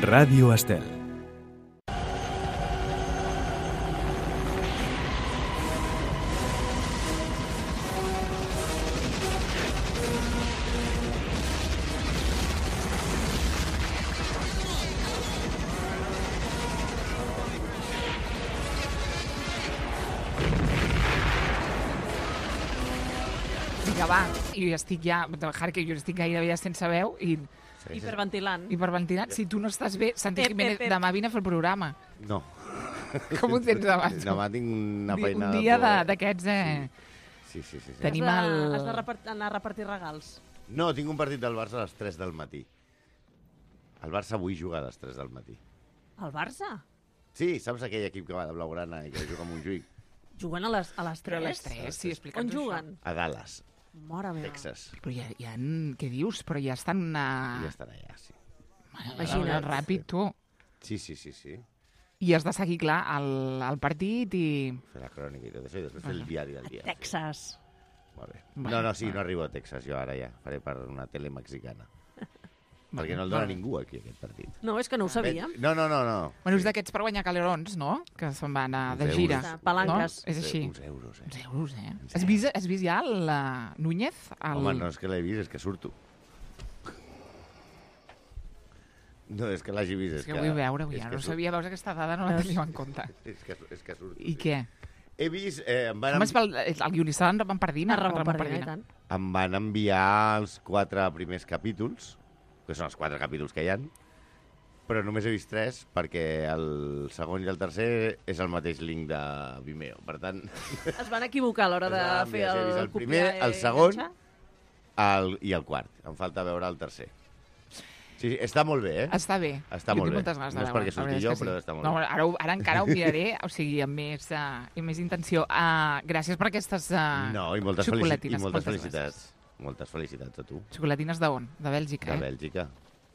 Ràdio Estel. Vinga, va, jo estic ja, Jarque, jo estic gairebé ja sense veu i Hiperventilant. si tu no estàs bé, Santi Jiménez, demà vine a fer el programa. No. Com ho tens demà? Demà tinc una feina... Un dia d'aquests, Sí. Tenim Has d'anar a repartir regals. No, tinc un partit del Barça a les 3 del matí. El Barça avui juga a les 3 del matí. El Barça? Sí, saps aquell equip que va de blaugrana i que juga a Montjuïc? Juguen a les 3? Però a les 3, sí, explica'ns On juguen? A Dallas, Mare meva. Texas. Però ja què dius? Però ja estan... Ja estan allà, sí. Imagina't. Ràpid, tu. Sí. I has de seguir, clar, el partit i... Fer la crònica i tot això, i després fer el diari del dia. Texas. Molt bé. Bueno, No arribo a Texas, jo ara ja. Faré per una tele mexicana. Perquè no el dona ningú aquí, aquest partit. No, és que no ho sabíem. No. Bueno, és d'aquests per guanyar calerons, no? Que se'n van de Uns gira. euros. Palanques. No? És així. Uns euros, Uns euros, eh? Has vist ja el Núñez? Home, no és que l'he vist, és que surto. No, és que l'hagi vist. És que vull veure-ho ja. No sabia, veus, aquesta dada no la teníem en compte. És que surto. I què? He vist... Home, és el guionista d'en Ramon Pardina. Ramon Pardina, i tant. Em van enviar els 4 primers capítols, que són els 4 capítols que hi ha, però només he vist 3 perquè el segon i el tercer és el mateix link de Vimeo. Per tant... Es van equivocar a l'hora de fer He vist el primer, el segon i el quart. Em falta veure el tercer. Sí, està molt bé, eh? Està bé. Està Jo molt tinc bé. moltes ganes de No és veure. perquè surti jo, però està molt no, bé. Ara encara ho miraré, o sigui, amb més intenció. Gràcies per aquestes No, i moltes xocolatines. felicitats. Moltes felicitats a tu. Xocolatines d'on? De Bèlgica, De Bèlgica.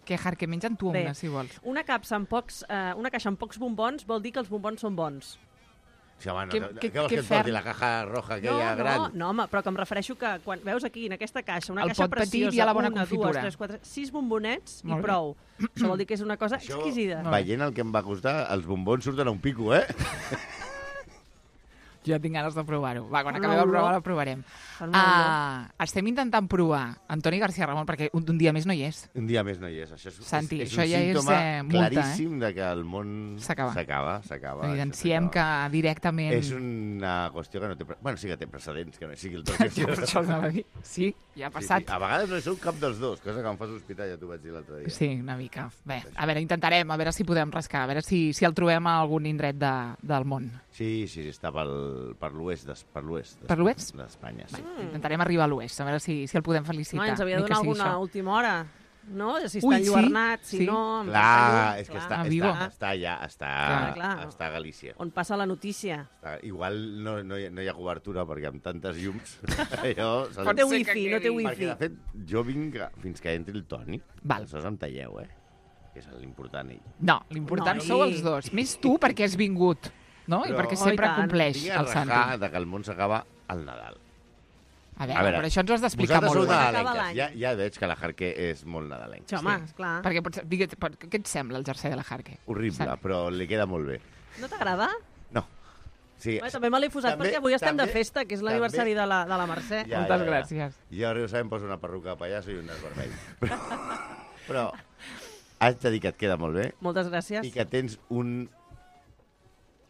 Que, Jarque, menja'n tu Bé. una, si vols. Una caixa amb pocs bombons vol dir que els bombons són bons. Sí, home, Què què vols que et fem? porti? La caja roja aquella gran? No, home, però que em refereixo que quan veus aquí, en aquesta caixa, una El caixa pot petit preciosa, i a la bona 1, 2, confitura. 3, 4, 6 bombonets Molt i bé. prou. Això vol dir que és una cosa Això, exquisida. veient el que em va costar, els bombons surten a un pico, eh? Jo tinc ganes de provar-ho. Va, quan Fan acabem una de provar, olor. la provarem. Fan una olor. Estem intentant provar Antoni García Ramon, perquè un dia més no hi és. Un dia més no hi és. Això és, Santi, és això un ja és, símptoma multa, claríssim de que el món S'acaba. s'acaba. Evidenciem que directament... És una qüestió que no té... Bueno, sí que té precedents, que no sigui el tot. Per això anava a dir. Sí, ja ha passat. Sí. A vegades no sou cap dels dos, cosa que em fa sospitar, ja t'ho vaig dir l'altre dia. Sí, una mica. Bé, a veure, intentarem, a veure si podem rascar, a veure si el trobem a algun indret del món. Sí, està per l'oest Per l'oest? d'Espanya. Sí. Intentarem arribar a l'oest, a veure si el podem felicitar. No, ens havia de ni que donar sigui alguna això. última hora. No? Si Ui, està sí, enlluernat, si sí. no... Clar, és que A Vigo. està allà, està Clar. a Galícia. On passa la notícia. Igual no hi ha cobertura perquè amb tantes llums allò... No té ser wifi, que no té quedi. Perquè, wifi. de fet, jo vinc fins que entri el Toni. Val. Aleshores em talleu, que és l'important ell. No, l'important No, sou i- els dos. Més tu perquè has vingut, no? I Però- perquè Oh, sempre i tant. compleix Vinc a el Santi. rajar de que el món s'acaba al Nadal. A veure, però això ens ho has d'explicar vosaltres molt sou bé. Acaba nadalenques. l'any. Ja veig que la Jarque és molt nadalenca. Sí, home, esclar. Perquè, què et sembla el jersei de la Jarque? Horrible, Santi? però li queda molt bé. No t'agrada? No. Sí, Bé, també me l'he posat També- perquè avui estem de també- festa, que és l'aniversari de la Mercè. Ja, Moltes ja. gràcies. Jo rigorosament poso una perruca de pallasso i un nas vermell. Però haig de dir que et queda molt bé Moltes gràcies. i que tens un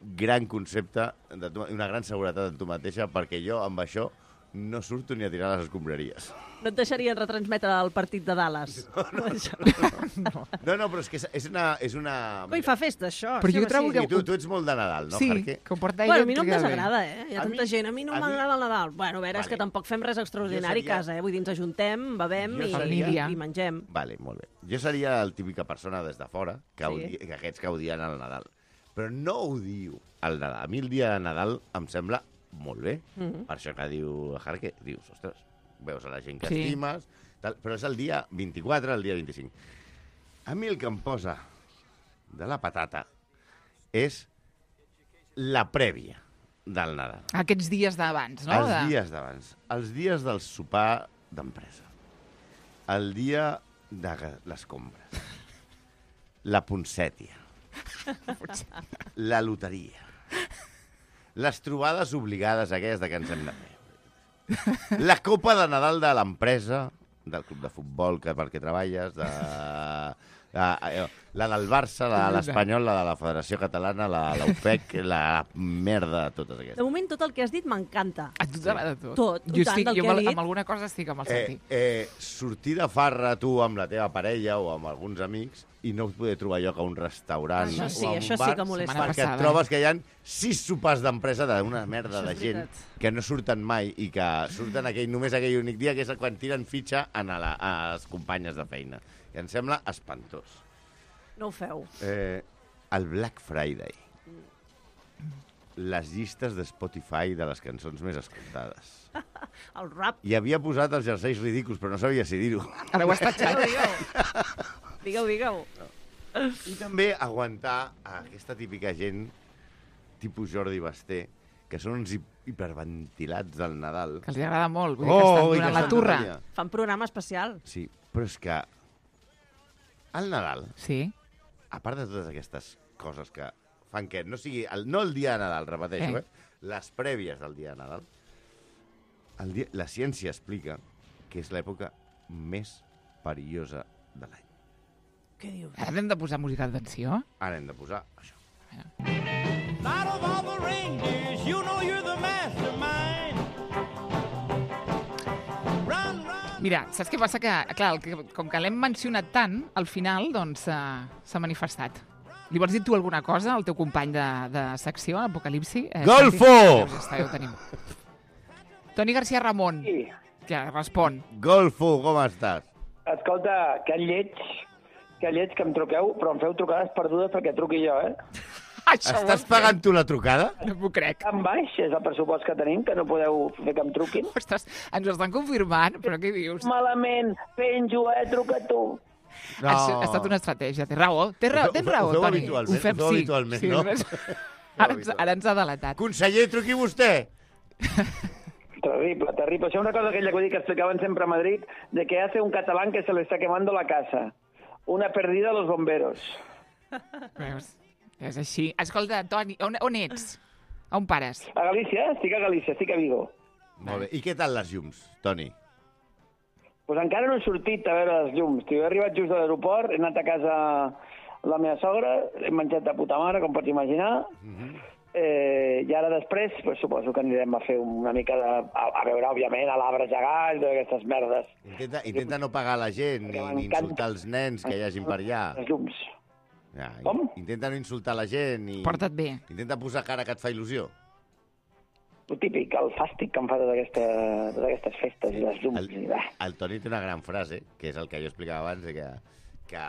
gran concepte, una gran seguretat en tu mateixa, perquè jo amb això no surto ni a tirar les escombraries. No et deixarien retransmetre el partit de Dallas. No, però és que és una... Coi, fa festa, això. Però sí, jo home, trobo sí. que- I tu ets molt de Nadal, no, Sí, Jarque? que ho porta Bueno, ella. a mi no em et queda bé. desagrada, Hi ha A tanta mi- gent. A mi no a mi- m'agrada el Nadal. Bueno, a veure, és Vale. que tampoc fem res extraordinari Jo seria- a casa, Vull dir, ens ajuntem, bevem Jo seria- i mengem. Vale, molt bé. Jo seria el típica persona des de fora, que, Sí. que aquests que odien el Nadal. Però no odio el Nadal. A mi el dia de Nadal em sembla molt bé. Per això que diu la Jarque, dius, ostres, veus a la gent que Sí. estimes, tal, però és el dia 24, el dia 25. A mi el que em posa de la patata és la prèvia del Nadal. Aquests dies d'abans, no? Els dies d'abans. Els dies del sopar d'empresa. El dia de les compres. la poncètia, la loteria, les trobades obligades aquelles de que ens hem de fer, la copa de Nadal de l'empresa, del club de futbol perquè treballes, la del Barça, la de l'Espanyol, la de la Federació Catalana, la de l'UPEC, la merda, totes aquestes. De moment, tot el que has dit m'encanta. A tu t'agrada tot? Tot, Jo tant, estic, del jo que ha dit. amb alguna cosa estic amb el Santi. Sortir de farra tu amb la teva parella o amb alguns amics i no poder trobar lloc a un restaurant Això sí, o a un això sí bar, que molesta. Setmana perquè et passada, trobes que hi ha 6 sopars d'empresa d'una merda Això de és gent veritat. que no surten mai i que surten només aquell únic dia, que és quan tiren fitxa a les companyes de feina. I em sembla espantós. No ho feu. El Black Friday. Les llistes de Spotify de les cançons més escoltades. El rap. I havia posat els jerseis ridículs, però no sabia si dir-ho. Ara ho has tatxat. Digueu. I també aguantar aquesta típica gent, tipus Jordi Basté, que són uns hiperventilats del Nadal. Que els agrada molt, vull dir que estan i que donant la estan turra. tot el dia. Fan programa especial. Sí, però és que al Nadal, Sí. a part de totes aquestes coses que fan que no sigui... no el dia de Nadal, repeteixo, les prèvies del dia de Nadal, la ciència explica que és l'època més perillosa de l'any. Què dius? Ara hem de posar música d'atenció? Ara hem de posar això. Out of all the reindeers, you know you're the mastermind. Run, run. Mira, saps què passa? Que, clar, com que l'hem mencionat tant, al final, doncs, s'ha manifestat. Li vols dir tu alguna cosa al teu company de secció, Apocalipsi? Golfo! Santi? Ja està, ja ho tenim. Toni García Ramon, Sí. que respon. Golfo, com estàs? Escolta, que lleig que em truqueu, però em feu trucades perdudes perquè truqui jo, Això ho Estàs has fet? pagant tu la trucada? No m'ho crec. Tan baix és el pressupost que tenim, que no podeu fer que em truquin. Ostres, ens ho estan confirmant, però què dius? Malament, penjo, truca tu. No. Ha estat una estratègia, tens raó, tens raó, Ho feu Toni. habitualment, Ho fem, ho feu sí. habitualment, Sí, no? ara ens ha delatat. Conseller, truqui vostè. Terrible, terrible. Això és una cosa que explicaven sempre a Madrid, de que hace un catalán que se le está quemando la casa. Una perdida a los bomberos. Veus? És així. Escolta, Toni, on ets? On pares? A Galícia? Estic a Galícia, estic a Vigo. Molt bé. I què tal les llums, Toni? Pues encara no he sortit a veure les llums. Tio, he arribat just de l'aeroport, he anat a casa la meva sogra, he menjat de puta mare, com pots imaginar, i ara després pues, suposo que anirem a fer una mica a veure, òbviament, a l'arbre gegant, totes aquestes merdes. Intenta no pagar la gent Perquè ni m'encanta. insultar els nens que hi hagin per allà. Les llums. Ja, Com? intenta no insultar la gent i Porta't bé. intenta posar cara que et fa il·lusió. El típic, el fàstic que em fa totes aquestes festes i les llums. El Toni té una gran frase, que és el que jo explicava abans, que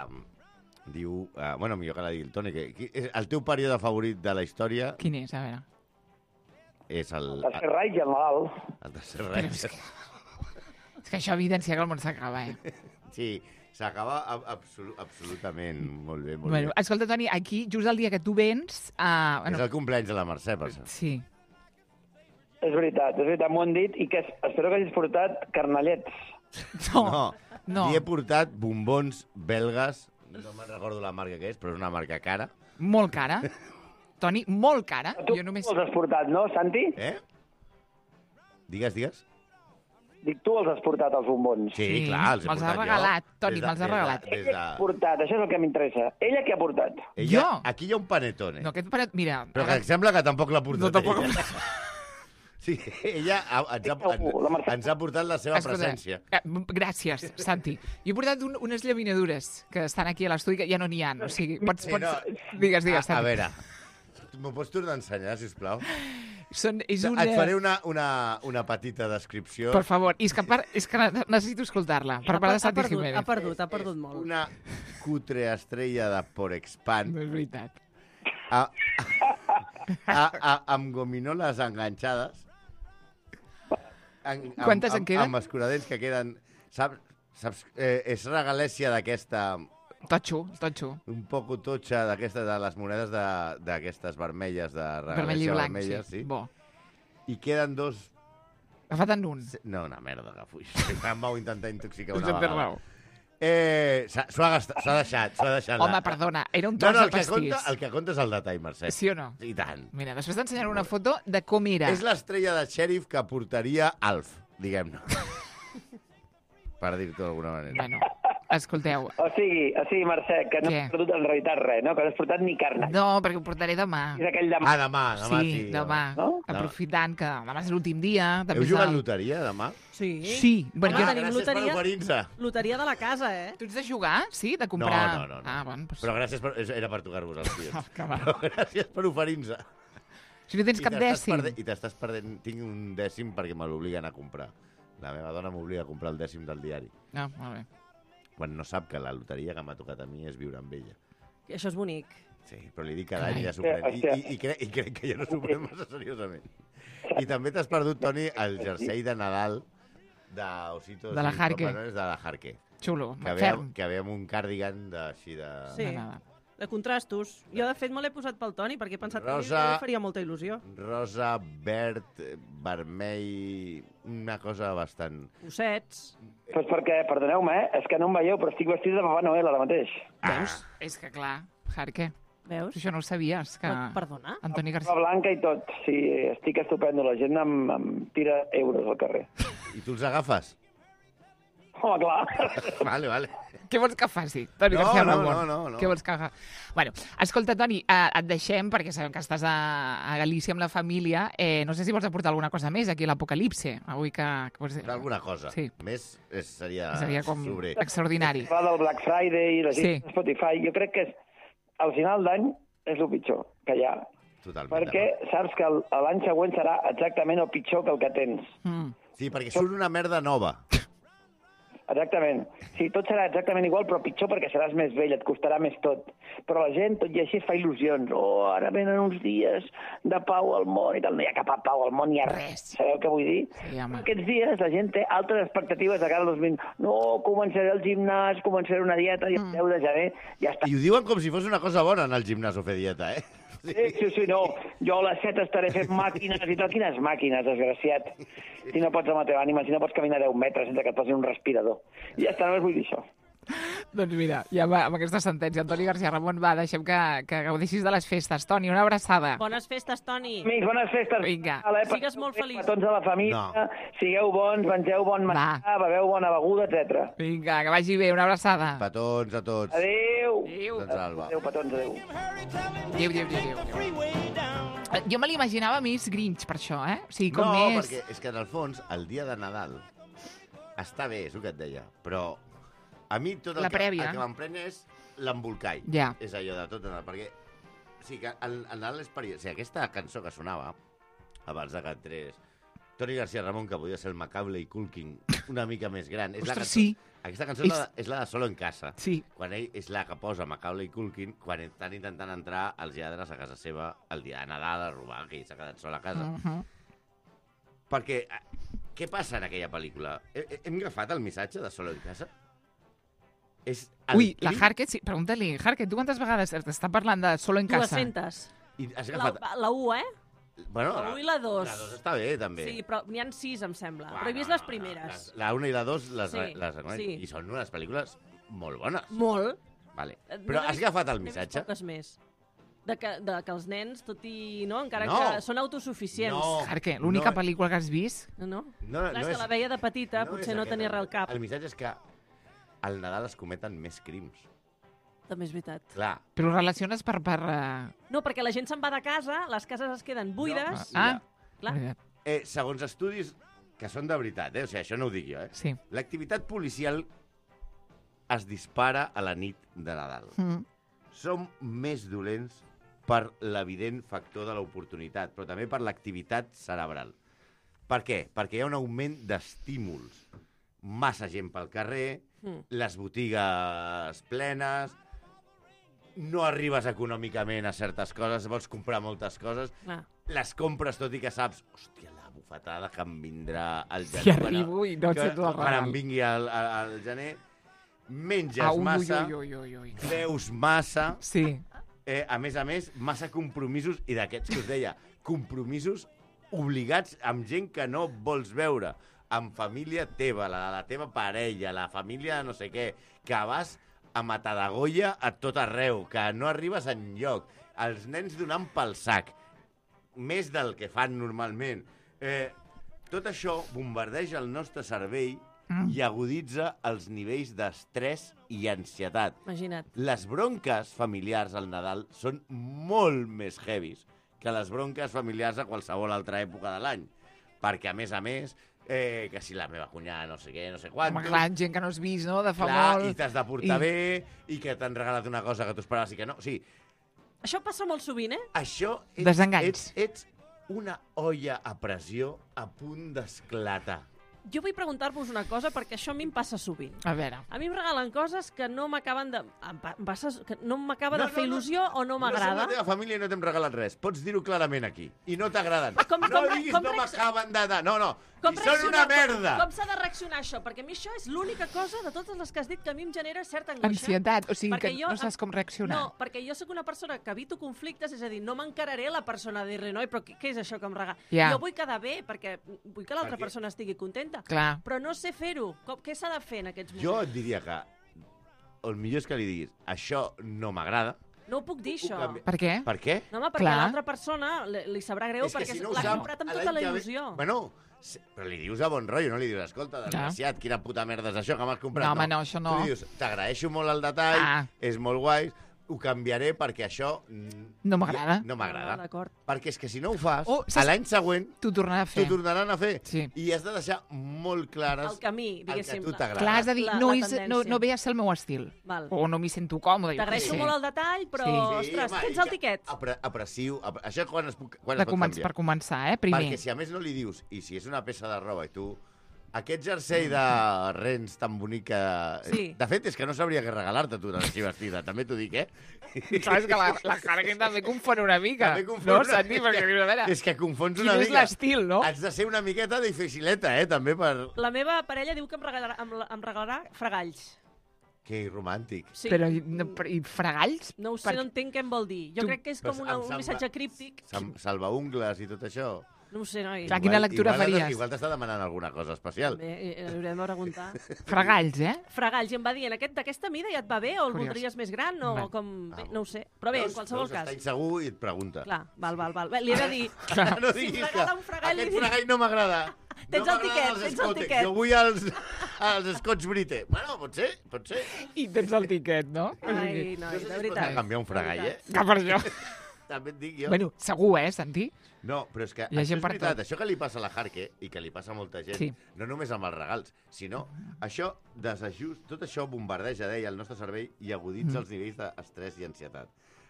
diu... bueno, millor que la digui el Toni, que el teu període favorit de la història Quin és? A veure. és el El Reis i el Nadal. tercer Però Reis. És que això evidencia que el món s'acaba, Sí, s'acaba absolutament. Molt bé, molt Bueno, bé. escolta, Toni, aquí, just el dia que tu vens... És el cumpleaños de la Mercè, per cert. Sí. És veritat, m'ho han dit, i que espero que hagis portat carnallets. No. Li he portat bombons belgues, no me'n recordo la marca que és, però és una marca cara. Molt cara. Toni, molt cara. Tu Jo només... els has portat, no, Santi? Digues. Dic, tu els has portat, els bombons. Sí, clar, els he me'ls portat ha regalat, jo. Toni, me'ls ha regalat. Ella què ha portat? Això és el que m'interessa. Ella què ha portat? Ella, Jo? aquí hi ha un panetone. No, aquest paret... Mira... Però ara- que sembla que tampoc l'ha portat No, tampoc ella. Sí, ella ens ha portat la seva Escolta, presència. gràcies, Santi. Jo he portat unes llaminadures que estan aquí a l'estudi, que ja no n'hi ha. O sigui, pots... Sí, no. Digues, A Santi. veure, m'ho pots tornar a ensenyar, sisplau? És una... Et faré una petita descripció. Per favor, és que necessito escoltar-la. Per part de Santi Jiménez. Ha perdut molt. Una cutre estrella de Porexpan No és veritat. amb gominoles enganxades. Quantes en queden? Amb escuradents que queden... Saps és regalèssia d'aquesta... Totxo. Un poc totxa d'aquesta, de les monedes d'aquestes vermelles, de Vermell i regalèssia blanc, vermella, sí. Bo. I queden dos... Agafat en un. No, una merda, que fuix. Em vau intentar intoxicar Doncs una en tens vegada. raó. S'ho ha deixat. Home, perdona, era un tros de pastís. El que compta és el detall, Mercè. Sí o no? I tant. Mira, després t'ensenyaré una foto de com era. És l'estrella de xèrif que portaria Alf, diguem-ne. Per dir-t'ho d'alguna manera. Bueno, escolteu. O sigui, Mercè, que no Què? has perdut en realitat res, no? Que no has portat ni carn. No, perquè ho portaré demà. És aquell demà. Demà sí. Demà. No? Aprofitant que demà és l'últim dia. Heu jugat loteria, demà? Sí. Sí. Bueno, Home, jo... tenim Gràcies per oferir-nos. Loteria de la casa, Tu ets de jugar? Sí? De comprar... No. Ah, bueno, doncs... Però gràcies per... Era per tocar-vos els pies. Que va. Però gràcies per oferir-nos. Si no tens cap dècim. I t'estàs perdent... Tinc un dècim perquè me l'obliguen a comprar. La meva dona m'obliga a comprar el dècim del diari. Ah, molt bé. Quan no sap que la loteria que m'ha tocat a mi és viure amb ella. I això és bonic. Sí, però li dic cada any i ja s'ho pren. I crec que ja no s'ho pren massa seriosament. I també t'has perdut, Toni, el jersei de Nadal d'Ositos De la i Jarque. Papanones de la Jarque. Xulo, Que ferm. ve amb un cardigan així de... Sí. De nada. De contrastos. Jo, de fet, me l'he posat pel Toni perquè he pensat que Rosa. a mi li faria molta il·lusió. Rosa, verd, vermell... Una cosa bastant... Ossets. Pues perquè, perdoneu-me, és que no em veieu, però estic vestit de Papà Noel ara mateix. Veus? És que clar, Jarque, Veus? això no ho sabies, que... Perdona? Antoni La García... blanca i tot. Sí, estic estupendo. La gent em tira euros al carrer. I tu els agafes? Home, clar. Vale. Què vols que faci, Toni No, García no, Ramon? no. Què vols que faci? Bueno, escolta, Toni, et deixem, perquè sabem que estàs a Galícia amb la família. No sé si vols aportar alguna cosa més aquí a l'Apocalipse, avui que vols... Alguna cosa. Sí. Més seria com sobrer. extraordinari. Va del Black Friday i la gent Sí. de Spotify. Jo crec que al final d'any és el pitjor que hi ha. Totalment. Perquè saps que l'any següent serà exactament el pitjor que el que tens. Sí, perquè surt una merda nova. Exactament. Sí, tot serà exactament igual, però pitjor perquè seràs més vell, et costarà més tot. Però la gent, tot i així, es fa il·lusions. Oh, ara venen uns dies de pau al món i tal. No hi ha cap pau al món, ni hi ha res. Sabeu què vull dir? Sí, home. Aquests dies la gent té altres expectatives de cara al 2020. No, començaré el gimnàs, començaré una dieta i el 10 de gener ja està. I ho diuen com si fos una cosa bona anar al gimnàs o fer dieta, eh? Sí, no. Jo a les 7 estaré fent màquines i tal. Quines màquines, desgraciat. Si no pots amb la teva ànima, si no pots caminar 10 metres sense que et posin un respirador. I ja està, només vull dir això. Doncs mira, ja va, amb aquesta sentència. Antoni García Ramon, va, deixem que gaudeixis de les festes. Toni, una abraçada. Bones festes, Toni. Amics, bones festes. Vinga. Sigues molt feliç. Petons a la família, sigueu bons, mengeu bon menjar, beveu bona beguda, etc. Vinga, que vagi bé, una abraçada. Petons a tots. Adéu. Adéu. Doncs Alba. Adéu, petons, adéu. Adéu. Jo me l'imaginava més Grinch, per això, eh? O sigui, com No, més... perquè és que en el fons, el dia de Nadal està bé, és el que et deia, però a mi tot el La prèvia. el que m'emprenya és l'embolcall. Ja. És allò de tot Nadal, perquè o sigui, que el Nadal és perilós. O sigui, aquesta cançó que sonava abans de que entrés Toni García Ramon, que podia ser el Macaulay Culkin una mica més gran. És la Ostres, cançó, sí. Aquesta cançó és la de Solo en casa. Sí. Quan ell és la que posa Macaulay Culkin quan estan intentant entrar els lladres a casa seva el dia de Nadal a robar, que ell s'ha quedat sol a casa. Perquè, què passa en aquella pel·lícula? Hem agafat el missatge de Solo en casa? És el Ui, la crim- Harket, sí, pregunta-li, Harket, tu quantes vegades t'està parlant de Solo en casa? 200. I has agafat... La 1, eh? Bueno, La 1 i la 2. La 2 està bé, també. Sí, però n'hi ha 6, em sembla. Uah, Però he vist les primeres. La 1 i la 2 les Sí, reconec. sí. I són unes pel·lícules molt bones. Molt. Vale. No Però n'he has vist- agafat el n'he vist missatge? poques més. De que els nens, tot i... No? Encara No. que són autosuficients. No. Harket, l'única No. pel·lícula que has vist? No? No, Clar, és que la veia de petita, potser és no aquest tenia res al cap. El missatge és que al Nadal es cometen més crims. També és veritat. Clar. Però ho relaciones per... No, perquè la gent se'n va de casa, les cases es queden buides. Ah, Clar. veritat. Segons estudis que són de veritat, o sigui, això no ho dic jo, Sí. l'activitat policial es dispara a la nit de Nadal. Som més dolents per l'evident factor de l'oportunitat, però també per l'activitat cerebral. Per què? Perquè hi ha un augment d'estímuls. Massa gent pel carrer, les botigues plenes, no arribes econòmicament a certes coses, vols comprar moltes coses, Clar. les compres tot i que saps, hòstia, la bufetada que em vindrà al gener. Si arribo i no ets tu el Quan em regal. vingui al gener, menges Ah, ui, massa, ui. veus massa, Sí. a més, massa compromisos, i d'aquests que us deia, compromisos obligats amb gent que no vols veure. amb família teva, la teva parella, la família no sé què, que vas a Matadagoia a tot arreu, que no arribes enlloc, els nens donant pel sac, més del que fan normalment. Tot això bombardeja el nostre cervell i aguditza els nivells d'estrès i ansietat. Imagina't. Les bronques familiars al Nadal són molt més heavies que les bronques familiars a qualsevol altra època de l'any. Perquè, a més, que si la meva cunyada no sé què, no sé quantos... Home, clar, gent que no has vist, no?, de fa clar, molt... i t'has de portar bé, i que t'han regalat una cosa que tu esperaves i que no. O sigui, Això passa molt sovint, eh? això... Desenganys. Ets una olla a pressió a punt d'esclatar. Jo vull preguntar-vos una cosa, perquè això a mi em passa sovint. A veure, A mi em regalen coses que no m'acaben de... que no m'acaba de fer il·lusió o no No m'agrada. som la teva família i no t'hem regalat res. Pots dir-ho clarament aquí. I no t'agraden. Com- no com- diguis com no reacc- m'acaben de... No. Com I són una merda. Com s'ha de reaccionar això? Perquè a mi això és l'única cosa de totes les que has dit que a mi em genera certa angoixa. ansietat, o sigui Perquè que jo- no saps com reaccionar. No, perquè jo sóc una persona que evito conflictes, és a dir, no m'encararé a la persona a dir-li, noi, però què és això que em regala? Ja. Jo vull quedar bé, perquè vull que l'altra Perquè- persona estigui contenta. Clar. Però no sé fer-ho. Què s'ha de fer en aquests moments? Jo et diria que el millor és que li diguis això no m'agrada. No ho puc dir, això. canvi- Per què? Per què? No, home, perquè Clar. a l'altra persona li sabrà greu, És que perquè si no ho l'ha sap, comprat amb l'any tota la que ve- il·lusió. Bueno, però li dius de bon rotllo, no li dius, escolta, desgraciat, quina puta merda és això que m'has comprat. No, home, no, això no. Tu li dius, t'agraeixo molt el detall, és molt guai, ho canviaré perquè això... No m'agrada. No m'agrada. D'acord. Perquè és que si no ho fas, Oh, saps- a l'any següent T'ho tornarà a t'ho fer. tornaran a fer. Sí. I has de deixar molt clares El camí, el que diguéssim. a tu t'agrada. Clar, has de dir, La no, tendència. no ve a ser el meu estil. Val. O no m'hi sento còmode. jo què T'agraeixo sé. molt el detall, però, Sí. ostres, home, tens i el que tiquet. Apressiu. Això quan es pot Per començar, primer. Perquè si a més no li dius, i si és una peça de roba i tu... Aquest jersei de rens tan bonic que... Sí. De fet, és que no sabria què regalar-te tu així vestida, també t'ho dic, eh? Saps que la Harkin també confon una mica. També confon No, una Santi, mica. perquè dius, a veure, És que confons quin una és mica. l'estil, no? Has de ser una miqueta dificileta, també, per... La meva parella diu que em regalarà fregalls. Que romàntic. Sí. Però, i fregalls? No ho sé, no entenc què em vol dir. Jo Tu- crec que és Però com em un sembla- missatge críptic. Salvaungles i tot això. No ho sé, noi. Clar, quina lectura faries? Igual t'està demanant alguna cosa especial. Bé, haurem de preguntar. Fregalls, Fregalls, i em va dir, d'aquesta mida ja et va bé o el Curiós. voldries més gran o Val. com... Bé, no ho sé. Però bé, en qualsevol cas. Està insegur i et pregunta. Clar, val. Bé, li he de dir... No Si diguis em regala un fregall, aquest li dic- fregall no m'agrada. Tens no el tiquet, m'agraden els tens el Scotch. tiquet. Jo vull els Scotch Brite. Bueno, pot ser. I tens el tiquet, no? Ai, noi, No sé de si es pot veritat. canviar un fregall, De veritat. Que per això. També et dic jo. Bueno, segur, Santi? No, però és que Hi ha això gent és per veritat. tot. Això que li passa a la Harke i que li passa a molta gent, Sí. no només amb els regals, sinó això tot això bombardeja, deia, el nostre cervell i aguditza els nivells d'estrès i ansietat.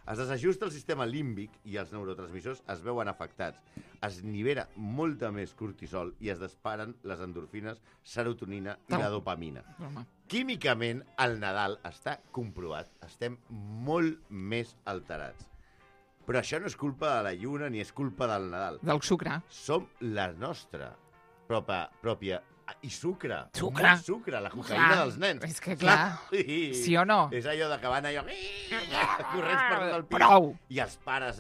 Es desajusta el sistema límbic i els neurotransmissors es veuen afectats. Es nivela molta més cortisol i es disparen les endorfines, serotonina i la dopamina. Home. Químicament, al Nadal està comprovat, estem molt més alterats. Però això no és culpa de la lluna ni és culpa del Nadal. Del sucre. Som la nostra pròpia i sucre. Sucre. Molt sucre, la cocaïna Clar, dels nens. és que clar, sí o no? És allò de que van allò... corrents per tot el pis. Prou. I els pares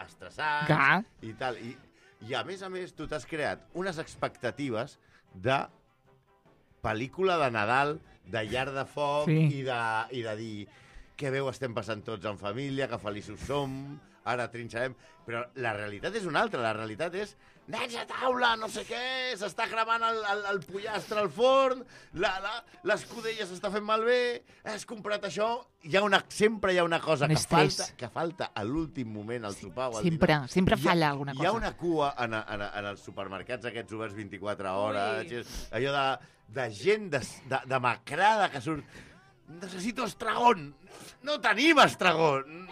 estressats Clar. i tal. I a més, tu t'has creat unes expectatives de pel·lícula de Nadal, de llar de foc Sí. i de dir que bé ho estem passant tots en família, que feliços som, ara trinxarem... Però la realitat és una altra. La realitat és nens a taula, no sé què, s'està cremant el pollastre al forn, l'escudella s'està fent malbé, has comprat això... Sempre hi ha una cosa Un estrès. que falta a l'últim moment al sopar o al Sempre, dinar. sempre falla alguna Hi ha cosa. una cua en els supermercats aquests oberts 24 hores, Ui. allò de gent demacrada que surt... Necessito estragón. No tenim estragón.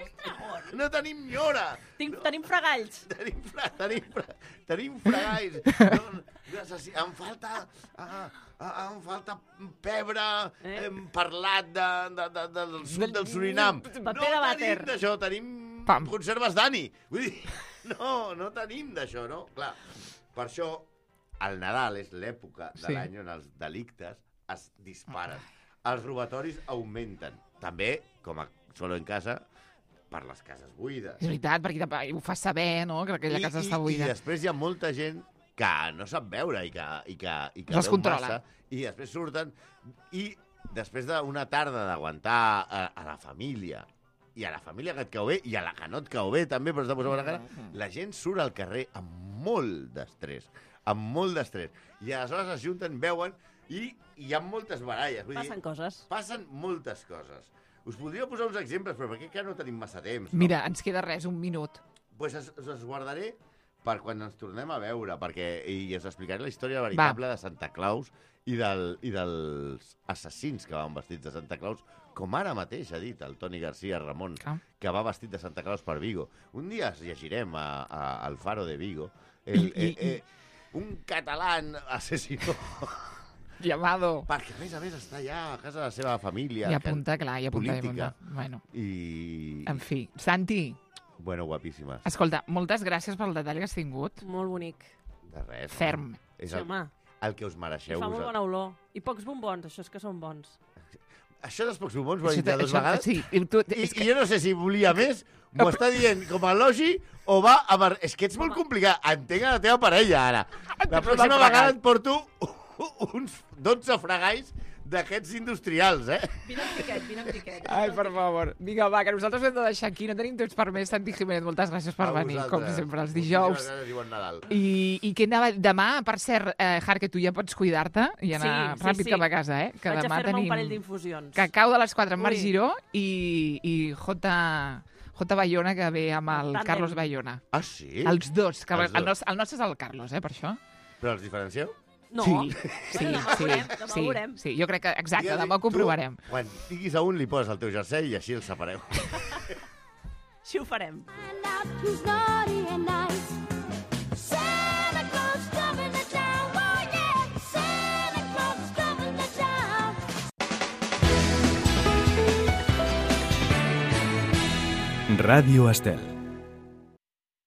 No tenim nyora. Tenim fregalls. Tenim fregalls. Em falta pebre parlat del sud del Surinam. Paper de No vàter. tenim d'això, tenim Pam. conserves Dani. Vull dir, no tenim d'això, no? Clar, per això el Nadal és l'època de Sí. l'any on els delictes es disparen. Els robatoris augmenten. També, com a solo en casa, per les cases buides. És veritat, perquè ho fa saber, no?, que aquella casa està I buida. després hi ha molta gent que no sap veure i que Els veu controla. massa, i després surten, i després d'una tarda d'aguantar a la família, i a la família que et cau bé, i a la que no et cau bé també, però està posant la cara, la gent surt al carrer amb molt d'estrès, i aleshores es junten, veuen, i hi ha moltes baralles. Vull Passen dir, coses. passen moltes coses. Us podria posar uns exemples, però perquè no tenim massa temps. No? Mira, ens queda res, un minut. Pues us guardaré per quan ens tornem a veure, i us explicaré la història veritable de Santa Claus i dels assassins que van vestits de Santa Claus, com ara mateix ha dit el Toni García Ramon, que va vestit de Santa Claus per Vigo. Un dia es llegirem al Faro de Vigo un català asesino Llamado. perquè a més està allà a casa de la seva família. I apunta, clar, i apunta. política. Bueno, I... en fi. Santi, Bueno, guapíssimes. escolta, moltes gràcies pel detall que has tingut. Molt bonic. De res. Ferm. És Sí, home. el que us mereixeu. Fa molt bona olor. I pocs bombons, això és que són bons. Això dels pocs bombons ho ha dit ja dues vegades. Sí, i tu, I jo no sé si volia més, m'ho està dient com a elogi o va amb... És que ets molt complicat. Entenc a la teva parella, ara. La pròxima vegada et porto uns 12 fregalls d'aquests industrials, Vine amb tiquet. Ai, per favor. Vinga, va, que nosaltres hem de deixar aquí. No tenim temps per més. Santi Jiménez, moltes gràcies per venir, com sempre, els dijous. I que anava demà, per cert, Har, que tu ja pots cuidar-te i anar ràpid cap a casa, que Vaig demà a fer-me un tenim parell d'infusions. cacau de les 4 amb Marc Giró i J. Bayona, que ve amb el Tàndem. Carlos Bayona. Ah, sí? Els dos. Que Els dos. el nostre és el Carlos, per això. Però els diferencieu? No. Sí, Demà ho veurem. sí. Jo crec que, exacte, demà ho comprovarem. Tu, quan tinguis a un, li poses el teu jersei i així el separeu. Així ho farem. Find out who's naughty and nice. Santa Claus coming to town, oh yeah. Santa Claus coming to town. Radio Estel.